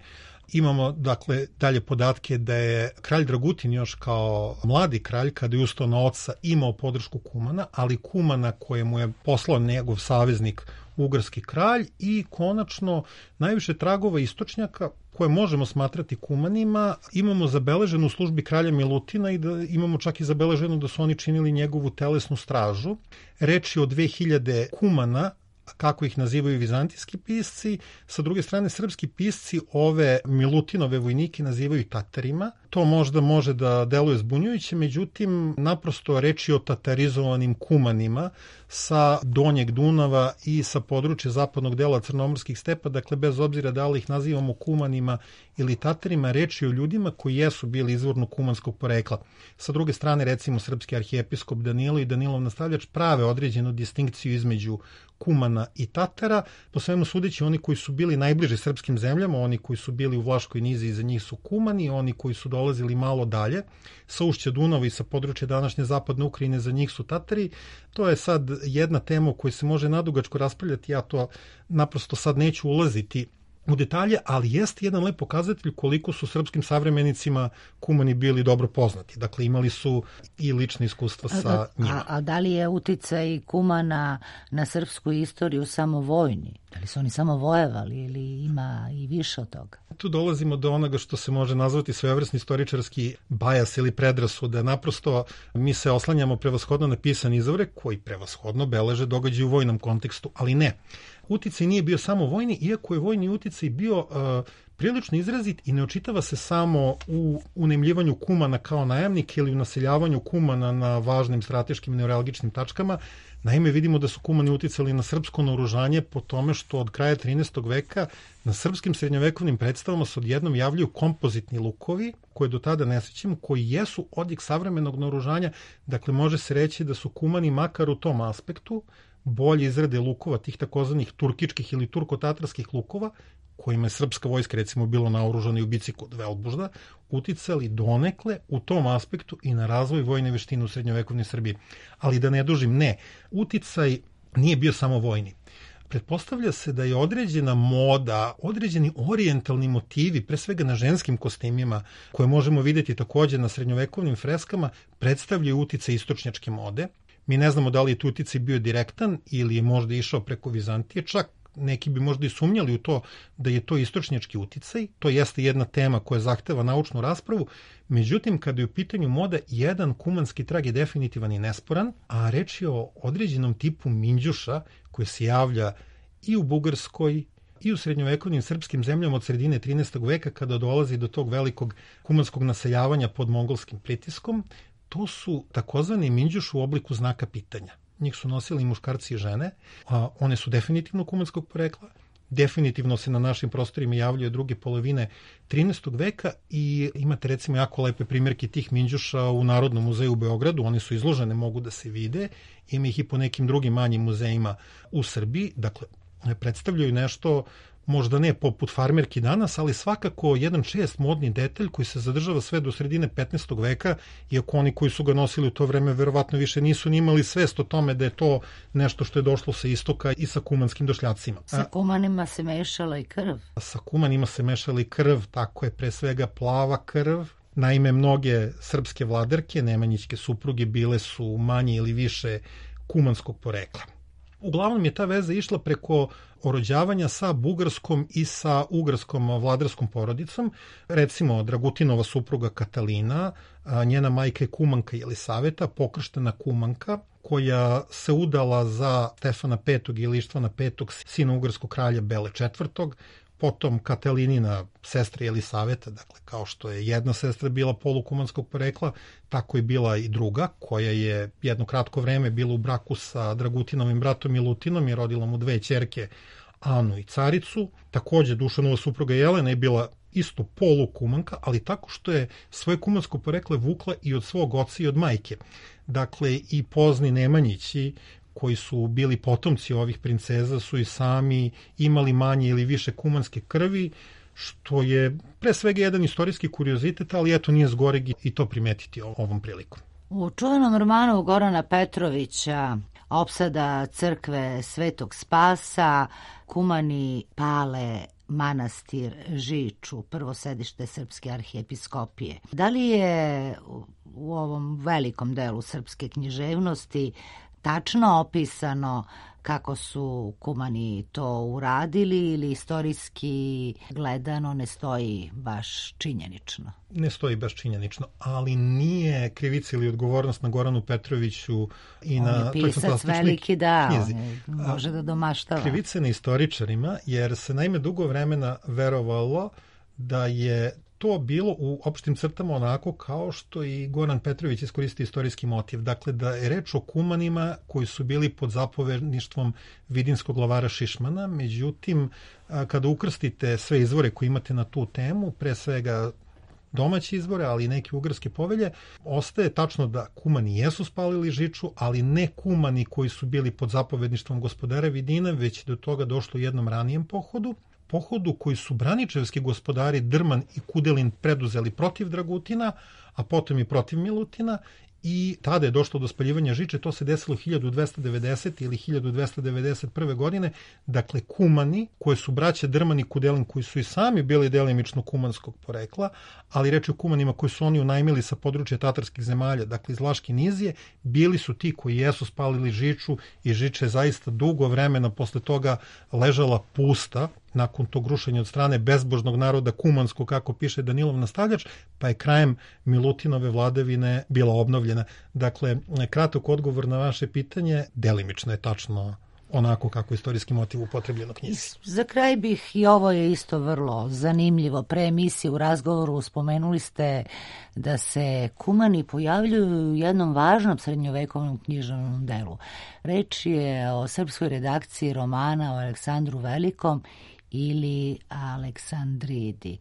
Imamo, dakle, dalje podatke da je kralj Dragutin još kao mladi kralj, kada je ustao na oca, imao podršku Kumana, ali Kumana koje mu je poslao njegov saveznik ugarski kralj i konačno najviše tragova istočnjaka koje možemo smatrati Kumanima imamo zabeleženu u službi kralja Milutina i da imamo čak i zabeleženo da su oni činili njegovu telesnu stražu. Reč je o 2000 Kumana, kako ih nazivaju vizantijski pisci, sa druge strane srpski pisci ove Milutinove vojnike nazivaju Tatarima. To možda može da deluje zbunjujuće, međutim naprosto reč je o tatarizovanim Kumanima sa donjeg Dunava i sa područja zapadnog dela crnomorskih stepa, dakle bez obzira da li ih nazivamo Kumanima ili Tatarima, reč je o ljudima koji jesu bili izvorno kumanskog porekla. Sa druge strane, recimo, srpski arhijepiskop Danilo i Danilov nastavljač prave određenu distinkciju između Kumana i Tatara. Po svemu sudeći, oni koji su bili najbliži srpskim zemljama, oni koji su bili u Vlaškoj nizi, iza njih su Kumani, oni koji su dolazili malo dalje, sa ušća Dunava i sa područja današnje zapadne Ukrajine, za njih su Tatari. To je sad jedna tema o kojoj se može nadugačko raspravljati, ja to naprosto sad neću ulaziti u detalje, ali jeste jedan lep pokazatelj koliko su srpskim savremenicima Kumani bili dobro poznati. Dakle, imali su i lične iskustva sa njima. A da li je uticaj Kumana na srpsku istoriju samo vojni? Da li su oni samo vojevali ili ima i više od toga? Tu dolazimo do onoga što se može nazvati svojevrsni istoričarski bajas ili predrasuda. Naprosto mi se oslanjamo prevashodno na pisani izvore koji prevashodno beleže događaje u vojnom kontekstu, ali ne. Uticaj nije bio samo vojni, iako je vojni uticaj bio prilično izrazit i ne očitava se samo u unemljivanju Kumana kao najamnika ili u naseljavanju Kumana na važnim strateškim neuralgičnim tačkama. Naime, vidimo da su Kumani uticali na srpsko naoružanje po tome što od kraja 13. veka na srpskim srednjovekovnim predstavama se odjednom javljaju kompozitni lukovi, koje do tada ne srećemo, koji jesu odjek savremenog naoružanja. Dakle, može se reći da su Kumani makar u tom aspektu bolje izrade lukova, tih takozvanih turkičkih ili turko-tatarskih lukova, kojima je srpska vojska recimo bilo naoružana i u bici kod Velbužda, uticali donekle u tom aspektu i na razvoj vojne veštine u srednjovekovnoj Srbiji. Ali da ne dužim, ne, uticaj nije bio samo vojni. Pretpostavlja se da je određena moda, određeni orijentalni motivi, pre svega na ženskim kostimima, koje možemo vidjeti također na srednjovekovnim freskama, predstavljaju uticaj istočnjačke mode. Mi ne znamo da li je tu uticaj bio direktan ili je možda išao preko Vizantije, čak neki bi možda i sumnjali u to da je to istočnjački uticaj. To jeste jedna tema koja zahteva naučnu raspravu. Međutim, kada je u pitanju moda, jedan kumanski trag je definitivan i nesporan, a reč je o određenom tipu minđuša koji se javlja i u Bugarskoj i u srednjovekovnim srpskim zemljama od sredine 13. veka kada dolazi do tog velikog kumanskog naseljavanja pod mongolskim pritiskom. To su takozvani minđuš u obliku znaka pitanja. Njih su nosili muškarci i žene, a one su definitivno kumanskog porekla. Definitivno se na našim prostorima javljaju druge polovine 13. veka i imate recimo jako lepe primjerke tih minđuša u Narodnom muzeju u Beogradu. One su izložene, mogu da se vide. Ima ih i po nekim drugim manjim muzejima u Srbiji. Dakle, predstavljaju nešto možda ne poput farmerki danas, ali svakako jedan čest modni detalj koji se zadržava sve do sredine 15. veka, iako oni koji su ga nosili u to vreme verovatno više nisu ni imali svest o tome da je to nešto što je došlo sa istoka i sa kumanskim došljacima. Sa Kumanima se mešala i krv. Sa Kumanima se mešala i krv, tako je, pre svega plava krv. Naime, mnoge srpske vladarke, nemanjićke supruge, bile su manje ili više kumanskog porekla. Uglavnom je ta veza išla preko orođavanja sa bugarskom i sa ugarskom vladarskom porodicom. Recimo, Dragutinova supruga Katalina, njena majka je Kumanka Jelisaveta, pokrštena Kumanka, koja se udala za Stefana V. ili Ištvana V. sina ugarskog kralja Bele IV. potom Katelinina sestra Jelisaveta, dakle kao što je jedna sestra bila polukumanskog porekla, tako je bila i druga, koja je jedno kratko vreme bila u braku sa Dragutinovim bratom Milutinom i rodila mu dve ćerke, Anu i Caricu. Takođe Dušanova supruga Jelena je bila isto polukumanka, ali tako što je svoje kumansko porekle vukla i od svog oca i od majke. Dakle, i pozni Nemanjići, koji su bili potomci ovih princeza, su i sami imali manje ili više kumanske krvi, što je pre svega jedan istorijski kuriozitet, ali eto nije zgoreg i to primetiti ovom prilikom. U čuvenom romanu Gorana Petrovića Opsada crkve Svetog Spasa kumani pale manastir Žiču, prvo sedište Srpske arhijepiskopije. Da li je u ovom velikom delu srpske književnosti tačno opisano kako su kumani to uradili ili istorijski gledano ne stoji baš činjenično? Ne stoji baš činjenično, ali nije krivica ili odgovornost na Goranu Petroviću i on na... On je pisac veliki, da, knjizi. Može da domaštava. Krivica na istoričarima, jer se naime dugo vremena verovalo da je to bilo u opštim crtama onako kao što i Goran Petrović iskoristi istorijski motiv. Dakle, da je reč o kumanima koji su bili pod zapovedništvom vidinskog glavara Šišmana. Međutim, kada ukrstite sve izvore koje imate na tu temu, pre svega domaće izvore, ali i neke ugarske povelje, ostaje tačno da kumani jesu spalili Žiču, ali ne kumani koji su bili pod zapovedništvom gospodara Vidina, već do toga došlo u jednom ranijem pohodu koji su braničevski gospodari Drman i Kudelin preduzeli protiv Dragutina, a potom i protiv Milutina, i tada je došlo do spaljivanja Žiče. To se desilo 1290. ili 1291. godine. Dakle, kumani, koje su braće Drman i Kudelin, koji su i sami bili delimično kumanskog porekla, ali reč je o kumanima koji su oni unajmili sa područja tatarskih zemalja, dakle iz Vlaške Nizije, bili su ti koji jesu spalili Žiču i Žiča je zaista dugo vremena posle toga ležala pusta, nakon tog rušenja od strane bezbožnog naroda kumanskog, kako piše Danilov nastavljač, pa je krajem Milutinove vladavine bila obnovljena. Dakle, kratak odgovor na vaše pitanje, delimično je tačno onako kako je istorijski motiv upotrebljen u knjizi. Za kraj bih, i ovo je isto vrlo zanimljivo, pre emisije u razgovoru spomenuli ste da se kumani pojavljuju u jednom važnom srednjovekovnom književnom delu. Reč je o srpskoj redakciji romana o Aleksandru Velikom ili Aleksandridi.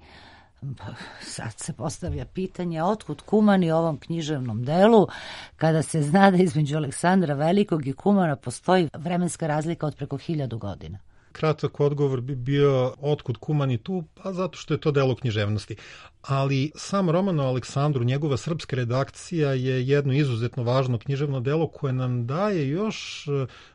Sad se postavlja pitanje otkud kumani u ovom književnom delu, kada se zna da između Aleksandra Velikog i kumana postoji vremenska razlika od preko 1000 godina. Kratak odgovor bi bio otkud kumani tu, pa zato što je to delo književnosti. Ali sam roman o Aleksandru, njegova srpska redakcija je jedno izuzetno važno književno delo koje nam daje još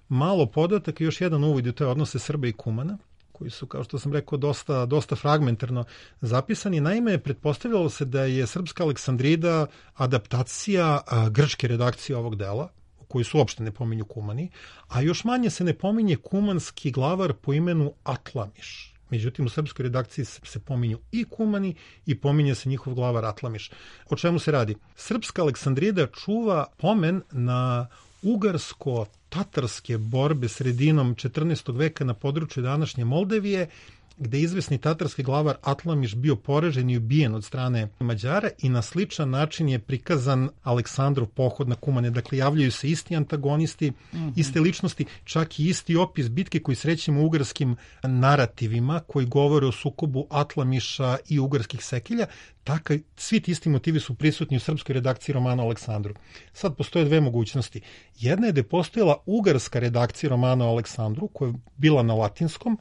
malo podataka, još jedan uvid u te odnose Srba i kumana, koji su, kao što sam rekao, dosta fragmentarno zapisani. Naime, pretpostavljalo se da je srpska Aleksandrida adaptacija grčke redakcije ovog dela, u kojoj su uopšte ne pominju kumani, a još manje se ne pominje kumanski glavar po imenu Atlamiš. Međutim, u srpskoj redakciji se pominju i kumani i pominje se njihov glavar Atlamiš. O čemu se radi? Srpska Aleksandrida čuva pomen na ugarsko-tatarske borbe sredinom 14. veka na području današnje Moldavije, gde je izvesni tatarski glavar Atlamiš bio poražen i ubijen od strane Mađara, i na sličan način je prikazan Aleksandrov pohod na kumane. Dakle, javljaju se isti antagonisti, iste ličnosti, čak i isti opis bitke koji srećemo u ugarskim narativima koji govore o sukobu Atlamiša i ugarskih sekilja. Tako, svi ti isti motivi su prisutni u srpskoj redakciji romana o Aleksandru. Sad postoje dve mogućnosti. Jedna je da je postojala ugarska redakcija romana o Aleksandru, koja je bila na latinskom.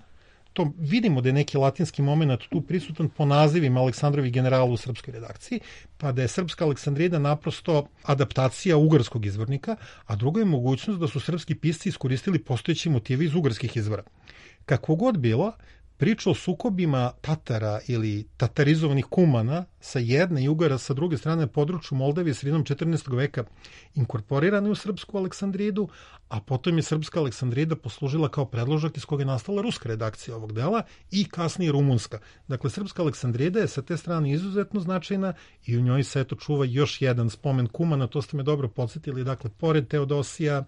To vidimo da je neki latinski moment tu prisutan po nazivima Aleksandrovih generala u srpskoj redakciji, pa da je srpska Aleksandrida naprosto adaptacija ugarskog izvornika, a druga je mogućnost da su srpski pisci iskoristili postojeći motive iz ugarskih izvora. Kako god bilo, priča o sukobima Tatara ili tatarizovanih kumana sa jedne i Ugara sa druge strane na području Moldavije sredinom 14. veka inkorporirana u srpsku Aleksandridu, a potom je srpska Aleksandrida poslužila kao predložak iz koga je nastala ruska redakcija ovog dela i kasnije rumunska. Dakle, srpska Aleksandrida je sa te strane izuzetno značajna i u njoj se eto čuva još jedan spomen kumana, to ste me dobro podsjetili. Dakle, pored Teodosija,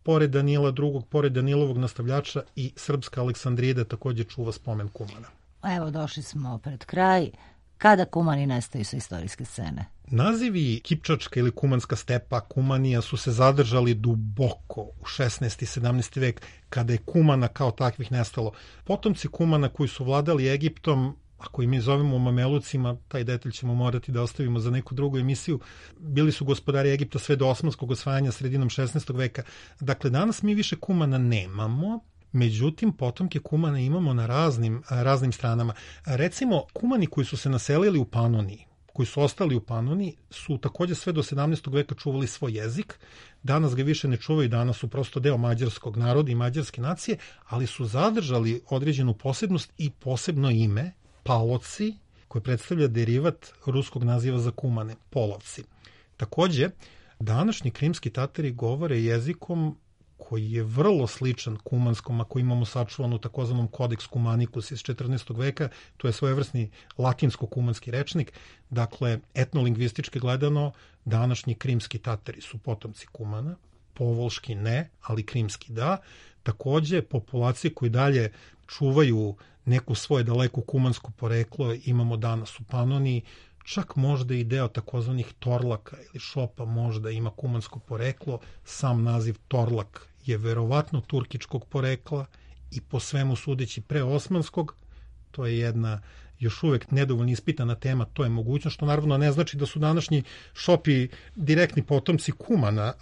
pored Danila II, pored Danilovog nastavljača, i srpska Aleksandrida takođe čuva spomen kumana. Evo, došli smo pred kraj. Kada kumani nestaju sa istorijske scene? Nazivi Kipčačka ili Kumanska stepa, Kumanija su se zadržali duboko u 16. i 17. vek, kada je Kumana kao takvih nestalo. Potomci Kumana koji su vladali Egiptom, ako i mi zovemo Mamelucima, taj detalj ćemo morati da ostavimo za neku drugu emisiju, bili su gospodari Egipta sve do osmanskog osvajanja sredinom 16. veka. Dakle, danas mi više Kumana nemamo, međutim, potomke Kumana imamo na raznim stranama. Recimo, Kumani koji su se naselili u Panoniji, koji su ostali u Panoniji, su takođe sve do 17. veka čuvali svoj jezik. Danas ga više ne čuvaju, danas su prosto deo mađarskog naroda i mađarske nacije, ali su zadržali određenu posebnost i posebno ime, Paloci, koji predstavlja derivat ruskog naziva za Kumane, Polovci. Takođe, današnji krimski Tatari govore jezikom koji je vrlo sličan kumanskom, ako imamo sačuvanu takozvanom Codex Cumanicus iz 14. veka, to je svojevrsni latinsko-kumanski rečnik. Dakle, etnolingvistički gledano, današnji krimski Tatari su potomci Kumana, povolški ne, ali krimski da. Takođe, populacije koji dalje čuvaju neku svoje daleko kumansko poreklo imamo danas u Panoniji, čak možda i deo takozvanih Torlaka ili Šopa možda ima kumansko poreklo. Sam naziv Torlak je verovatno turkičkog porekla i po svemu sudeći preosmanskog. To je jedna još uvek nedovoljno ispitana tema, to je mogućnost, što naravno ne znači da su današnji Šopi direktni potomci Kumana.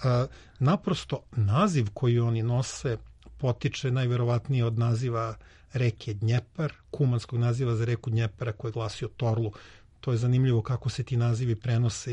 Naprosto naziv koji oni nose potiče najverovatnije od naziva reke Dnjepar, kumanskog naziva za reku Dnjepara koji je glasio Torlu. To je zanimljivo kako se ti nazivi prenose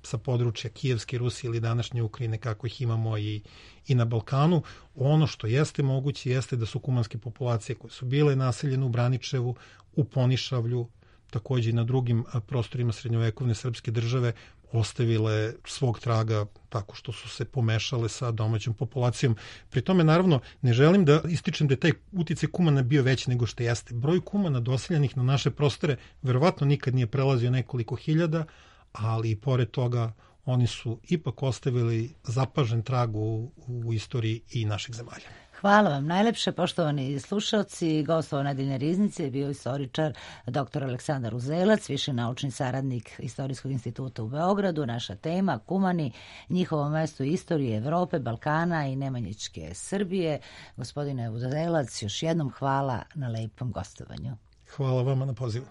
sa područja Kijevske Rusije ili današnje Ukrajine, kako ih imamo i na Balkanu. Ono što jeste moguće jeste da su kumanske populacije koje su bile naseljene u Braničevu, u Ponišavlju, takođe i na drugim prostorima srednjovekovne srpske države ostavile svog traga tako što su se pomešale sa domaćom populacijom. Pri tome, naravno, ne želim da ističem da je taj uticaj Kumana bio veći nego što jeste. Broj Kumana doseljenih na naše prostore verovatno nikad nije prelazio nekoliko hiljada, ali i pored toga oni su ipak ostavili zapažen trag u istoriji i naših zemalja. Hvala vam najlepše, poštovani slušalci. Gost nedeljne riznice je bio istoričar dr. Aleksandar Uzelac, viši naučni saradnik Istorijskog instituta u Beogradu. Naša tema Kumani, njihovo mesto istorije Evrope, Balkana i Nemanjićke Srbije. Gospodine Uzelac, još jednom hvala na lepom gostovanju. Hvala vama na pozivu.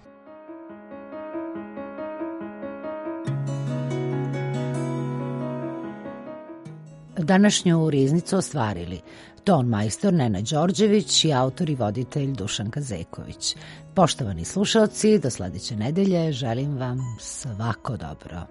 Današnju riznicu ostvarili ton majstor Nena Đorđević i autor i voditelj Dušanka Zeković. Poštovani slušalci, do sledeće nedelje želim vam svako dobro.